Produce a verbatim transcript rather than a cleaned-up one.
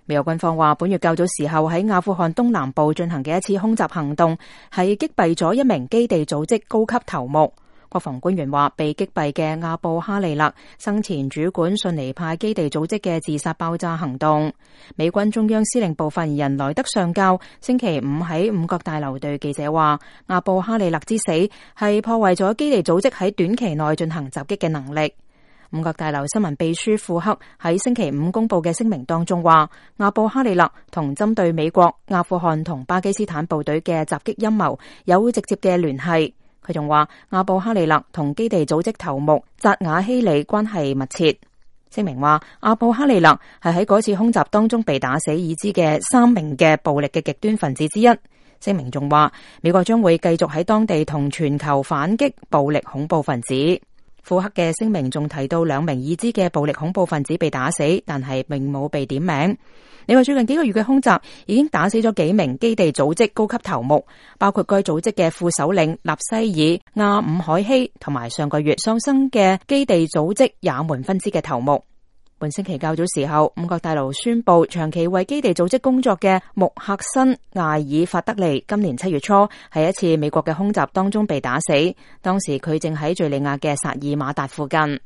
美國軍方話，本月較早時候喺阿富汗東南部進行嘅一次空襲行動，係擊斃咗一名基地組織高級頭目。國防官員話，被擊斃嘅阿布哈利勒生前主管遜尼派基地組織嘅自殺爆炸行動。美軍中央司令部發言人萊德上校星期五喺五角大樓對記者話，阿布哈利勒之死係破壞咗基地組織喺短期內進行襲擊嘅能力。五角大樓新聞秘書庫克喺星期五公布嘅聲明當中話，阿布哈利勒同針對美國、阿富汗同巴基斯坦部隊嘅襲擊陰謀有直接嘅聯繫。佢仲話，阿布哈利勒同基地組織頭目扎瓦希里關係密切。聲明話，阿布哈利勒係喺嗰次空襲當中被打死已知嘅三名嘅暴力嘅極端分子之一。聲明仲話，美國將會繼續喺當地同全球反擊暴力恐怖分子。庫克嘅聲明仲提到兩名已知嘅暴力恐怖分子被打死，但係並冇被點名。你話最近幾個月嘅空襲已經打死咗幾名基地組織高級頭目，包括該組織嘅副首領納西爾亞伍海希，同埋上個月喪生嘅基地組織也門分支嘅頭目。本星期較早時候，五角大樓宣布長期為基地組織工作嘅穆克辛艾爾法德利今年七月初喺一次美國嘅空襲當中被打死，當時佢正喺敘利亞嘅薩爾馬達附近。